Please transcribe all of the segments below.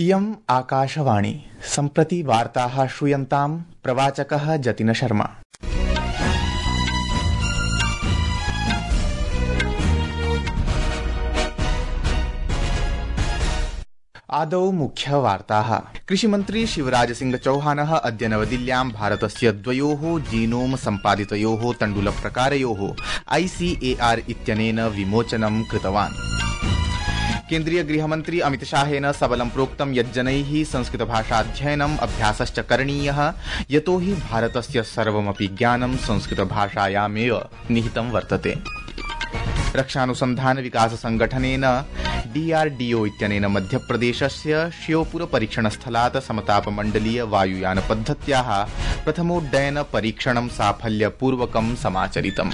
इयम् आकाशवाणी सम्प्रति वार्ताः श्रूयन्ताम् प्रवाचकः जतिन शर्मा। आदौ मुख्यवार्ताः। कृषिमन्त्री शिवराज सिंह चौहानः अद्य नवदिल्ल्यां भारतस्य द्वयोः जीनोम सम्पादितयोः तण्डुलप्रकारयोः ICAR इत्यनेन विमोचनं कृतवान्। केन्द्रीय गृहमन्त्री अमितशाहेन सबलं प्रोक्तं यत् जनैः संस्कृतभाषाध्ययनम् अभ्यासश्च करणीयः, यतो हि भारतस्य सर्वमपि ज्ञानं संस्कृतभाषायामेव निहितं वर्तते। रक्षानुसन्धान विकास संगठनेन DRDO इत्यनेन मध्यप्रदेशस्य श्योपुर परीक्षणस्थलात् समतापमण्डलीय वायुयान पद्धत्याः प्रथमोड्डयन परीक्षणं साफल्यपूर्वकं समाचरितम्।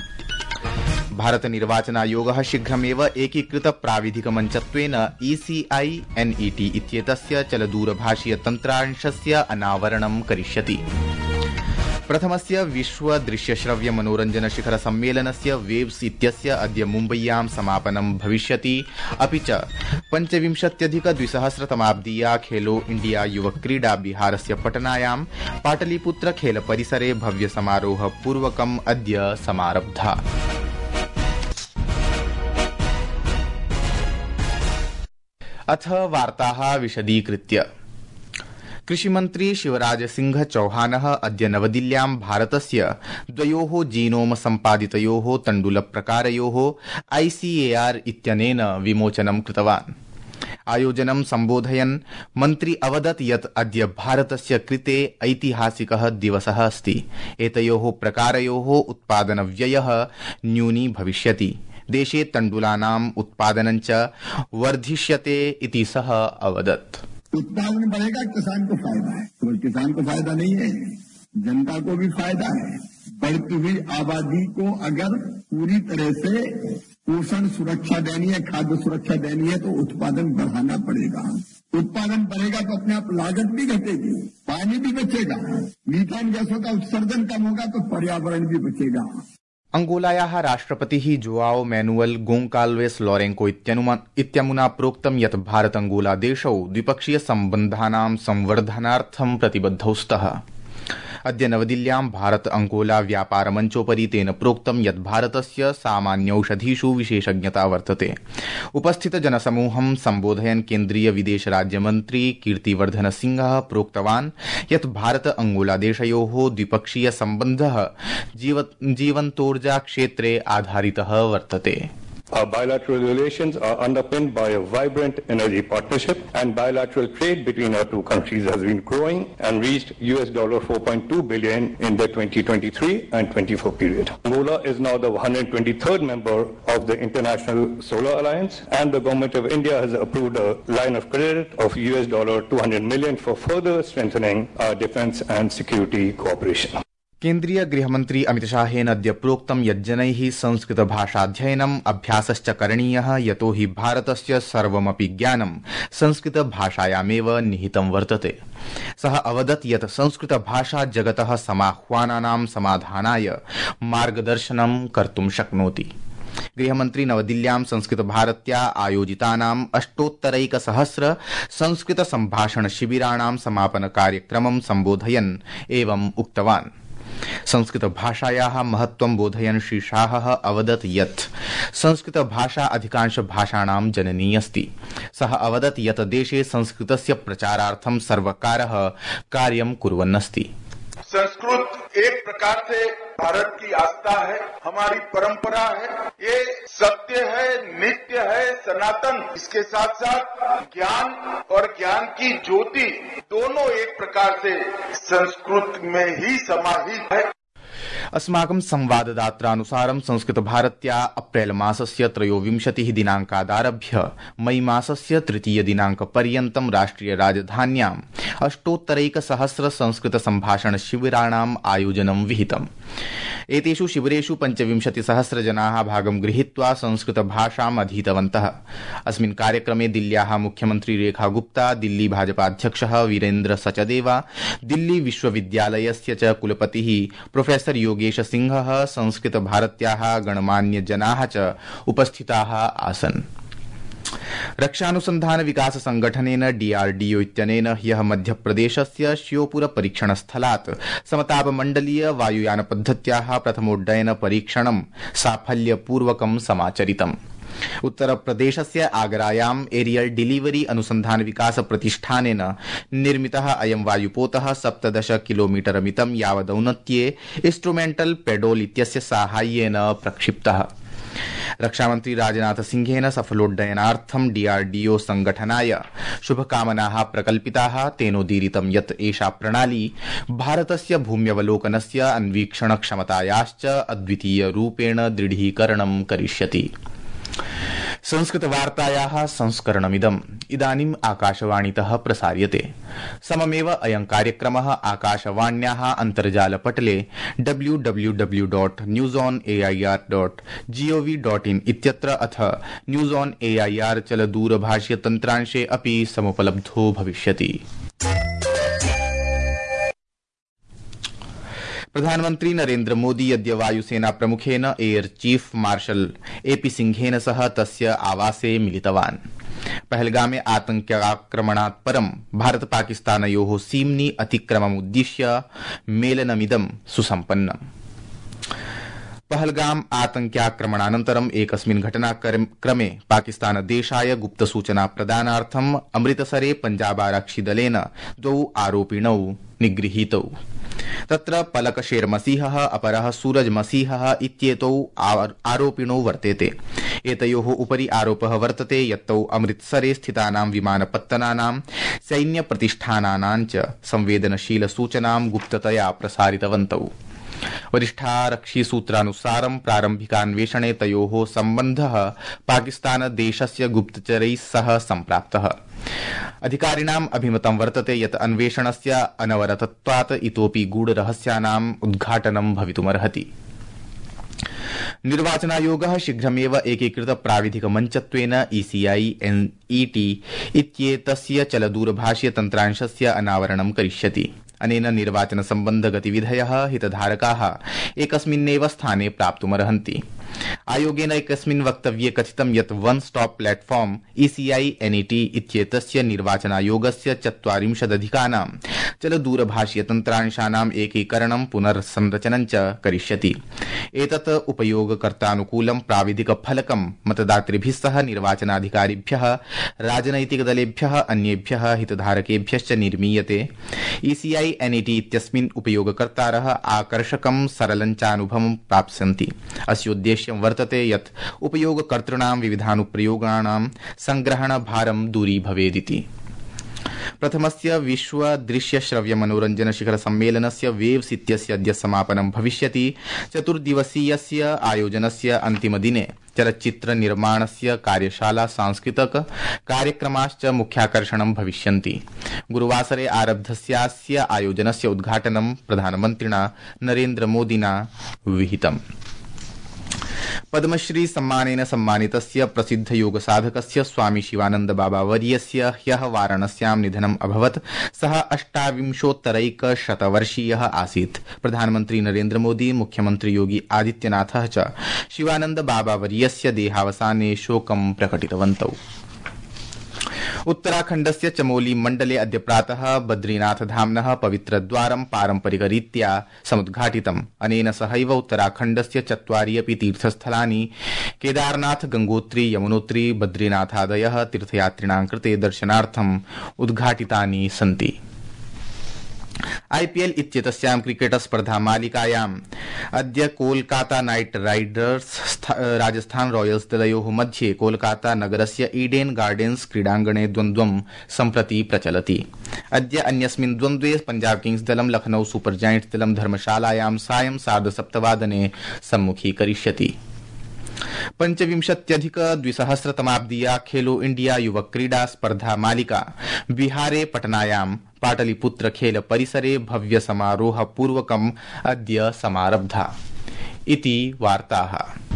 भारत निर्वाचनायोगः शीघ्रमेव एकीकृत प्राविधिकमञ्चत्वेन ECI NET इत्येतस्य चलदूरभाषीय तन्त्रांशस्य अनावरणं करिष्यति। प्रथमस्य विश्व दृश्यश्रव्य मनोरञ्जन शिखर सम्मेलनस्य वेव्स इत्यस्य अद्य मुम्बय्यां समापनं भविष्यति। अपि च 25,200तमाब्दीया खेलो इंडिया युवक क्रीडा बिहारस्य पटनायां पाटलिपुत्र खेल परिसरे भव्य समारोह पूर्वकम् अद्य समारब्धा। अथ वार्ताः विशदीकृत्य। कृषिमन्त्री शिवराज सिंह चौहानः अद्य नवदिल्ल्यां भारतस्य द्वयोः जीनोम सम्पादितयोः तण्डुलप्रकारयोः ICAR इत्यनेन विमोचनं कृतवान्। आयोजनं सम्बोधयन् मन्त्री अवदत् यत् अद्य भारतस्य कृते ऐतिहासिकः दिवसः अस्ति। एतयोः प्रकारयोः उत्पादनव्ययः न्यूनी भविष्यति। देशे तण्डुलानाम् उत्पादनं च वर्धिष्यते इति सः अवदत्। उत्पादन बढ़ेगा, किसान को फायदा है। तो किसान को फायदा नहीं है, जनता को भी फायदा है। बढ़ती हुई आबादी को अगर पूरी तरह से पोषण सुरक्षा देनी है, खाद्य सुरक्षा देनी है, तो उत्पादन बढ़ाना पड़ेगा। उत्पादन बढ़ेगा तो अपने आप लागत भी घटेगी, पानी भी बचेगा, मीथेन गैसों का उत्सर्जन कम होगा तो पर्यावरण भी बचेगा। अंगोलायाः राष्ट्रपतिः जोआओ मैनुअल गोंकाल्वेस लोरेंको इत्यमुना प्रोक्तं यत् भारत अंगोला देशौ द्विपक्षीय सम्बन्धानां संवर्धनार्थं प्रतिबद्धौ स्तः। अद्य नवदिल्ल्यां भारत अंगोला व्यापार मञ्चोपरि तेन प्रोक्तं यत् भारतस्य सामान्यौषधीषु विशेषज्ञता वर्तते। उपस्थित जनसमूहं सम्बोधयन् केन्द्रीय विदेश राज्यमन्त्री कीर्तिवर्धन सिंहः प्रोक्तवान् यत् भारत अंगोला देशयोः द्विपक्षीय सम्बन्धः जीवन्तोर्जा क्षेत्रे आधारितः वर्तते। Our bilateral relations are underpinned by a vibrant energy partnership, and bilateral trade between our two countries has been growing and reached $4.2 billion in the 2023 and 24 period. Angola is now the 123rd member of the International Solar Alliance, and the Government of India has approved a line of credit of $200 million for further strengthening our defense and security cooperation. केन्द्रीय गृहमन्त्री अमितशाहेन अद्य प्रोक्तं यत् जनैः संस्कृतभाषाध्ययनम् अभ्यासश्च करणीयः, यतो हि भारतस्य सर्वमपि ज्ञानं संस्कृतभाषायामेव निहितं वर्तते। सः अवदत् यत् संस्कृतभाषा जगतः समाह्वानानां समाधानाय मार्गदर्शनं कर्तुं शक्नोति। गृहमन्त्री नवदिल्ल्यां संस्कृतभारत्या आयोजितानाम् 8,100 संस्कृत सम्भाषण शिबिराणां समापन कार्यक्रमं सम्बोधयन् एवम् उक्तवान्। संस्कृत भाषायाः महत्त्वं बोधयन् श्री शाहः अवदत् यत् संस्कृत भाषा अधिकांश भाषाणां जननी अस्ति। सः अवदत् यत् देशे संस्कृतस्य प्रचारार्थं सर्वकारः कार्यं कुर्वन्नस्ति। संस्कृत एक प्रकार से भारत की आस्था है, हमारी परंपरा है, ये सत्य है, नित्य है, सनातन। इसके साथ साथ ज्ञान और ज्ञान की ज्योति दोनों एक प्रकार से संस्कृत में ही समाहित है। अस्माकं संवाददात्रानुसारं संस्कृतभारत्या अप्रैल मासस्य 23 दिनाङ्कादारभ्य मई मासस्य 3 दिनाङ्कपर्यन्तं राष्ट्रिय राजधान्यां 8,100 संस्कृत सम्भाषण शिबिराणाम् आयोजनं विहितम्। एतेषु शिबिरेषु 25,000 जनाः भागं गृहीत्वा संस्कृत भाषाम् अधीतवन्तः। अस्मिन् कार्यक्रमे दिल्ल्याः मुख्यमन्त्री रेखा गुप्ता, दिल्ली भाजपाध्यक्षः वीरेन्द्र सचदेवा, दिल्ली विश्वविद्यालयस्य च कुलपतिः प्रोफेसर योगेश सिंहः, संस्कृत भारत्याः गणमान्य जनाः च उपस्थिताः आसन्। रक्षानुसंधान विकास संगठनेन DRDO इत्यनेन ह्यः मध्यप्रदेशस्य श्योपुर परीक्षणस्थलात् समतापमण्डलीय वायुयानपद्धत्याः प्रथमोड्डयन परीक्षणं साफल्यपूर्वकं समाचरितम्। उत्तरप्रदेशस्य आगरायाम् एरियल डिलीवरी अनुसंधान विकास प्रतिष्ठानेन निर्मितः अयं वायुपोतः 17 किलोमीटर मितं यावदौन्नत्ये इंस्ट्रूमेंटल पेडोल इत्यस्य साहाय्येन प्रक्षिप्तः। रक्षामन्त्री राजनाथ सिंहेन सफलोड्डयनार्थं DRDO संगठनाय शुभकामनाः प्रकल्पिताः। तेनोदीरितं यत् एषा प्रणाली भारतस्य भूम्यवलोकनस्य अन्वीक्षणक्षमतायाश्च अद्वितीयरूपेण दृढीकरणं करिष्यति। संस्कृतवार्तायाः संस्करणमिदम् इदानीम् आकाशवाणीतः प्रसार्यते। सममेव अयं कार्यक्रमः आकाशवाण्याः अन्तर्जालपटले www.newsonair.gov.in इत्यत्र अथ न्यूज ऑन एआईआर चलदूरभाषीयतन्त्रांशे अपि समुपलब्धो भविष्यति। प्रधानमन्त्री नरेन्द्र मोदी अद्य वायुसेना प्रमुखेन एयर चीफ मार्शल AP सिंहेन सह तस्य आवासे मिलितवान्। पहलगामे आतंक्याक्रमणात् परं भारत पाकिस्तानयोः सीम्नि अतिक्रममुद्दिश्य मेलनमिदं सुसम्पन्नम्। पहलगाम आतंक्याक्रमणानन्तरम् एकस्मिन् घटनाक्रमे पाकिस्तानदेशाय गुप्तसूचना प्रदानार्थम् अमृतसरे पंजाबारक्षिदलेन 2 आरोपिणौ निगृहीतौ। तत्र पलक शेर मसीहः अपरः सूरज मसीहः इत्येतौ आरोपिणौ वर्तेते। एतयोः उपरि आरोपः वर्तते यत्तौ अमृतसरे स्थितानां विमानपत्तनानां सैन्यप्रतिष्ठानानां च संवेदनशील सूचनां गुप्ततया प्रसारितवन्तौ। वरिष्ठारक्षिसूत्रानुसारं प्रारम्भिकान्वेषणे तयोः सम्बन्धः पाकिस्तानदेशस्य गुप्तचरैः सह सम्प्राप्तः। अधिकारिणाम् अभिमतं वर्तते यत् अन्वेषणस्य अनवरतत्वात् इतोऽपि गूढरहस्यानाम् उद्घाटनं भवितुमर्हति। निर्वाचनायोगः शीघ्रमेव एकीकृत प्राविधिक मञ्चत्वेन ECI NET इत्येतस्य चलदूरभाषीय तन्त्रांशस्य अनावरणं करिष्यति। अनेन निर्वाचन सम्बन्ध गतिविधयः हितधारकाः एकस्मिन्नेव स्थाने प्राप्तुमर्हन्ति। आयोगेन एकस्मिन् वक्तव्ये कथितं यत् वन स्टॉप प्लेटफॉर्म ECI NET इत्येतस्य निर्वाचनायोगस्य 40 चलदूरभाषीयतन्त्रांशानाम् एकीकरणं पुनर्संरचनं च करिष्यति। एतत् उपयोगकर्तानुकूलं प्राविधिकफलकं मतदातृभिः सह निर्वाचनाधिकारिभ्यः, राजनैतिकदलेभ्यः, अन्येभ्यः हितधारकेभ्यश्च निर्मीयते। ECI NET इत्यस्मिन् उपयोगकर्तारः आकर्षकं सरलं चानुभवं प्राप्स्यन्ति। अस्योद्देश्यं वर्तते यत् उपयोगकर्तॄणां विविधानुप्रयोगाणां संग्रहण भारं दूरी भवेदिति। प्रथमस्य विश्व दृश्य श्रव्य मनोरंजन शिखर सम्मेलनस्य वेव्स इत्यस्य अद्य समापनं भविष्यति। 4 दिवसीयस्य आयोजनस्य अन्तिमदिने चलच्चित्र निर्माणस्य कार्यशाला, सांस्कृतिक कार्यक्रमाश्च मुख्याकर्षणं भविष्यन्ति। गुरुवासरे आरब्धस्यास्य आयोजनस्य उद्घाटनं प्रधानमन्त्रिणा नरेन्द्र मोदिना विहितम्। पद्मश्री सम्मानेन सम्मानितस्य प्रसिद्ध योग साधकस्य स्वामी शिवानंद बाबा वर्यस्य ह्यः वाराणस्यां निधनम् अभवत्। सः 28 वर्षीयः आसीत्। प्रधानमन्त्री नरेन्द्र मोदी, मुख्यमन्त्री योगी आदित्यनाथः च शिवानंद बाबा वर्यस्य देहावसाने शोकं प्रकटितवन्तौ। उत्तराखण्डस्य चमोली मण्डले अद्य प्रातः बद्रीनाथ धाम्नः पवित्रद्वारं पारम्परिकरीत्या समुद्घाटितम्। अनेन सहैव उत्तराखण्डस्य 4 अपि तीर्थस्थलानि केदारनाथ, गंगोत्री, यमुनोत्री, बद्रीनाथादयः तीर्थयात्रिणां कृते दर्शनार्थम् उद्घाटितानि सन्ति। IPL इत्येतस्यां क्रिकेट स्पर्धा मालिकायाम् अद्य Kolkata Knight Riders Rajasthan Royals दलयोः मध्ये कोलकाता नगरस्य ईडेन गार्डेन्स क्रीडाङ्गणे द्वन्द्वं सम्प्रति प्रचलति। अद्य अन्यस्मिन् द्वन्द्वे पंजाब किंग्स दलं लखनऊ सुपर जायंट्स दलं धर्मशालायां सायं 7:30 सम्मुखीकरिष्यति। 25th-2000 खेलो इंडिया युवक क्रीडा स्पर्धा मालिका बिहारे पटनायां पाटलिपुत्र खेल परिसरे भव्य समारोह पूर्वकम् अद्य समारब्धा इति वार्ताः।